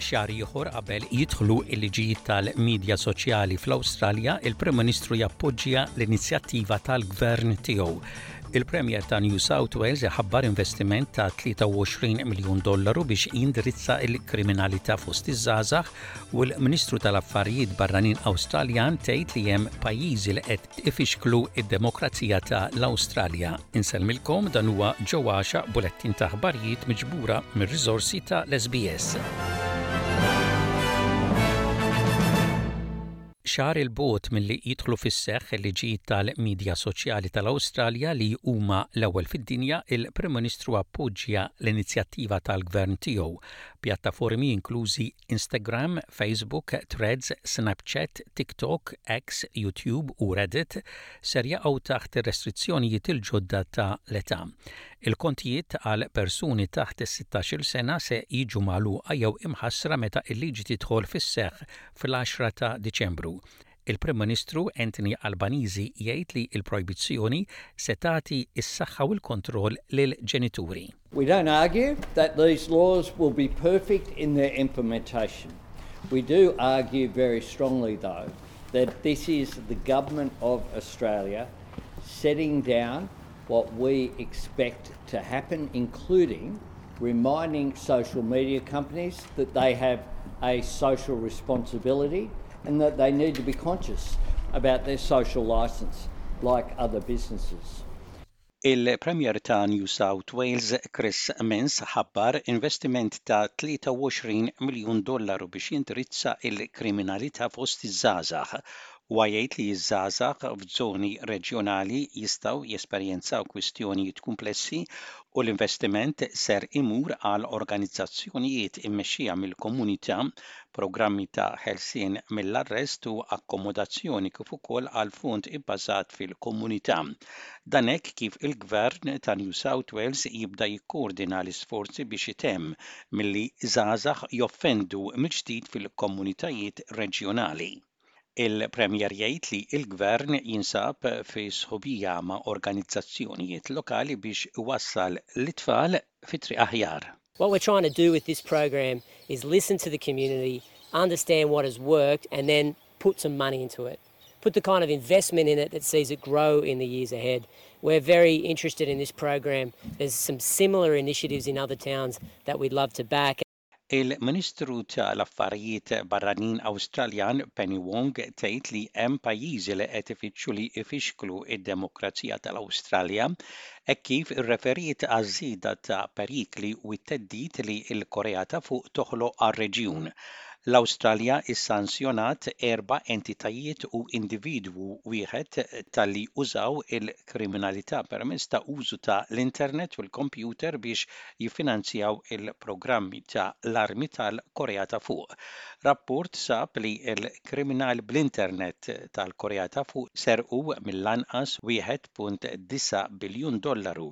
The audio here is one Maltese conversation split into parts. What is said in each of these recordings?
Xahar ieħor qabel jidħlu l-liġijiet tal-midja soċjali fl-Awstralja, il-Prim Ministru jappoġġja l-inizjattiva tal-gvern tiegħu. Il-Premier ta' New South Wales iħabbar investiment ta' 23 miljun dollaru biex jindirizza l-kriminalità fost iż-żgħażagħ u l-Ministru tal-Affarijiet Barranin Awstraljan tgħid li hemm pajjiżi li qed ifixklu d-demokrazija ta' l-Awstralja. Insellmilkom dan huwa Joe Għaxaq bulettin ta' aħbarijiet miġbura mir-riżorsi ta' l-SBS. Xahar 'il bogħod milli jidħlu fis-seħħ il-liġijiet tal-midja soċjali tal-Awstralja li huma l-ewwel fid-dinja, il-Prim Ministru appoġġja l-inizjattiva tal-Gvern tiegħu. Pjattaformi inklużi Instagram, Facebook, Threads, Snapchat, TikTok, X, YouTube u Reddit ser jaqgħu taħt ir-restrizzjonijiet il-ġodda ta' l-età. Il-kontijiet għal persuni taħt is-sittax-il sena se jiġu magħluqa jew imħassra meta l-liġi tidħol fis-seħħ fl-għaxra ta' Diċembru. Il-Prim Ministru Anthony Albanese jgħid li l-projbizzjoni se tagħti s-saħħa u l-kontroll lill-ġenituri. We don't argue that these laws will be perfect in their implementation. We do argue very strongly though that this is the government of Australia setting down what we expect to happen, including reminding social media companies that they have a social responsibility and that they need to be conscious about their social licence like other businesses. Il-Premier ta' New South Wales Chris Minns ħabbar investiment ta' 23 miljun dollaru biex jindirizza l-kriminalità fost iż-żgħażagħ. Huwa jgħid li ż-żgħażagħ f'żoni reġjonali jistgħu jesperjenzaw kwistjonijiet kumplessi u l-investiment ser imur għal organizzazzjonijiet immexxija mill-komunità, programmi ta' ħelsien mill-arrest u akkomodazzjoni kif ukoll għal fond ibbażat fil-komunità. Dan hekk kif il-Gvern ta' New South Wales jibda jikkoordina l-isforzi biex itemm milli żgħażagħ joffendu mill-ġdid fil-komunitajiet reġjonali. Il-Premier jgħid li l-Gvern jinsab fi sħubija ma' organizzazzjonijiet lokali biex iwassal lit-tfal fi triq aħjar. What we're trying to do with this program is listen to the community, understand what has worked and then put some money into it. Put the kind of investment in it that sees it grow in the years ahead. We're very interested in this program. There's some similar initiatives in other towns that we'd love to back. Il-Ministru ta' l-Affarijiet Barranin Awstraljan Penny Wong tgħid li hemm pajjiżi li qed ifittxu li jfixklu d-demokrazija tal-Awstralja hekk kif irreferiet għaż-żieda ta' perikli u t-theddid li l-Korea ta' Fuq toħloq għar-reġjun. L-Awstralja ssanzjonat erba' entitajiet u individwu wieħed talli użaw il-kriminalità permezz ta' użu ta' l-internet u l-kompjuter biex jiffinanzjaw il-programmi ta' l-armi tal-Korea ta' Fuq. Rapport sab li l-kriminali bl-internet tal-Korea ta' Fuq serqu mill-anqas 1.9 biljun dollaru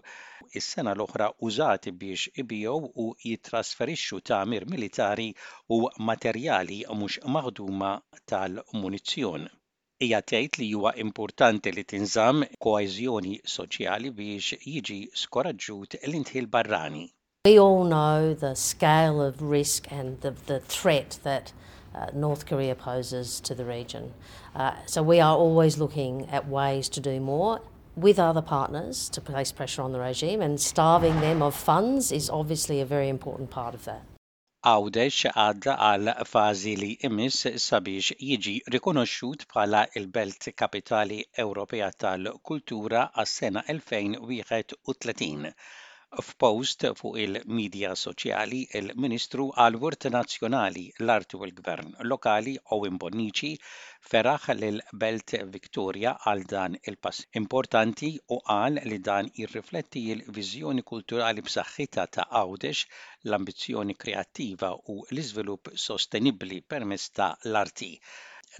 s-sena l-oħra użati biex ibigħu u jittrasferixxu tagħmir militari u materjali mhux maħduma tal-munizzjon. Hija tgħid li huwa importanti li tinżamm koeżjoni soċjali biex jiġi skoraġġut l-indħil barrani. We all know the scale of risk and the, the threat that uh, North Korea poses to the region. Uh, so we are always looking at ways to do more with other partners to place pressure on the regime and starving them of funds is obviously a very important part of that. Għawdex għadda għal fażi li jmiss sabiex jiġi rikonoxxut bħala l-Belt Kapitali Ewropea tal-Kultura għas-sena 2031. F'post fuq il-midja soċjali, il-Ministru għall-Wirt Nazzjonali, l-Arti u l-Gvern Lokali Owen Bonnici feraħ lill-Belt Victoria għal dan il-pass importanti u qal li dan jirrifletti l-viżjoni kulturali b'saħħitha ta' Għawdex l-ambizzjoni kreattiva u l-iżvilupp sostenibbli permezz ta' l-arti.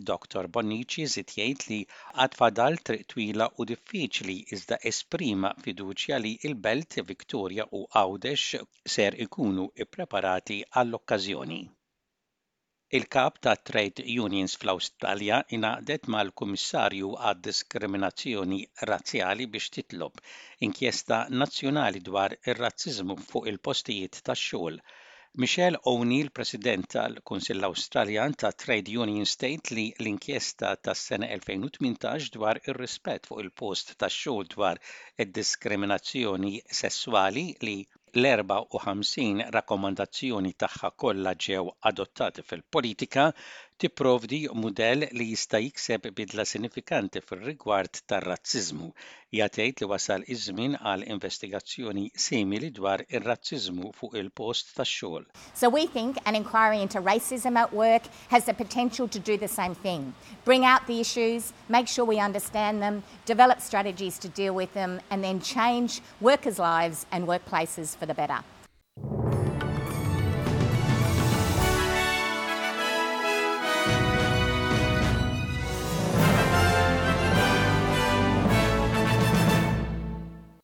Dottor Bonnici żied jgħid li għad fadal triq twila u diffiċli iżda esprima fiduċja li l-Belt Victoria u Għawdex ser ikunu ppreparati għall-okkażjoni. Il-kap tat-trade unions fl-Awstralja ingħaqdet mal-Kummissarju għad-Diskriminazzjoni Razzjali biex titlob inkjesta nazzjonali dwar ir-razziżmu fuq il-postijiet tax-xogħol. Michelle O'Neill, President tal-Kunsill Awstraljan ta' Trade Unions tgħid li l-inkjesta tas-sena 2018 dwar ir-rispett fuq il-post tax-xogħol dwar id-diskriminazzjoni sesswali li l-54 rakkomandazzjoni tagħha kollha ġew adottati fil-politika, tipprovdi mudell li jista' jikseb bidla sinifikanti fir-rigward tar-razziżmu. Hija tgħid li wasal iż-żmien għal investigazzjoni simili dwar ir-razziżmu fuq il-post tax-xogħol. So we think an inquiry into racism at work has the potential to do the same thing. Bring out the issues, make sure we understand them, develop strategies to deal with them, and then change workers' lives and workplaces for the better.